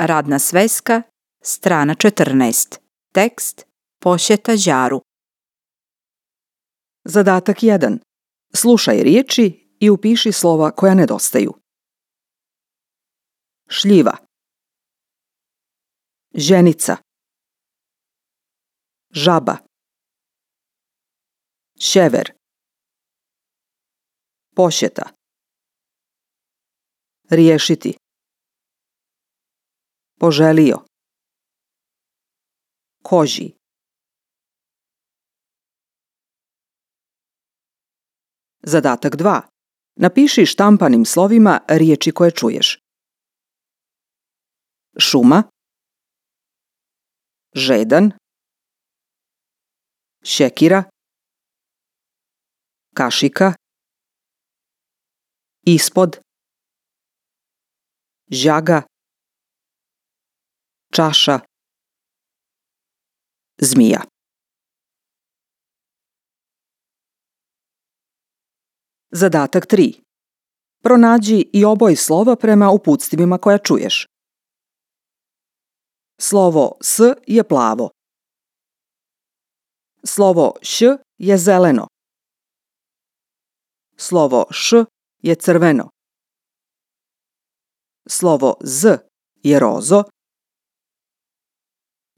Radna sveska, strana 14. Tekst Posjeta Đaru. Zadatak 1. Slušaj riječi i upiši slova koja nedostaju. Šljiva, ženica, žaba, šever, posjeta, riješiti, poželio, koži. Zadatak 2. Napiši štampanim slovima riječi koje čuješ. Šuma, žedan, šekira, kašika, ispod, žaga, čaša, zmija. Zadatak 3. Pronađi i oboj slova prema uputstvima koja čuješ. Slovo S je plavo. Slovo Š je zeleno. Slovo Š je crveno. Slovo Z je rozo.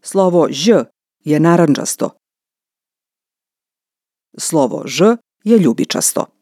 Slovo Ž je narandžasto. Slovo Ž je ljubičasto.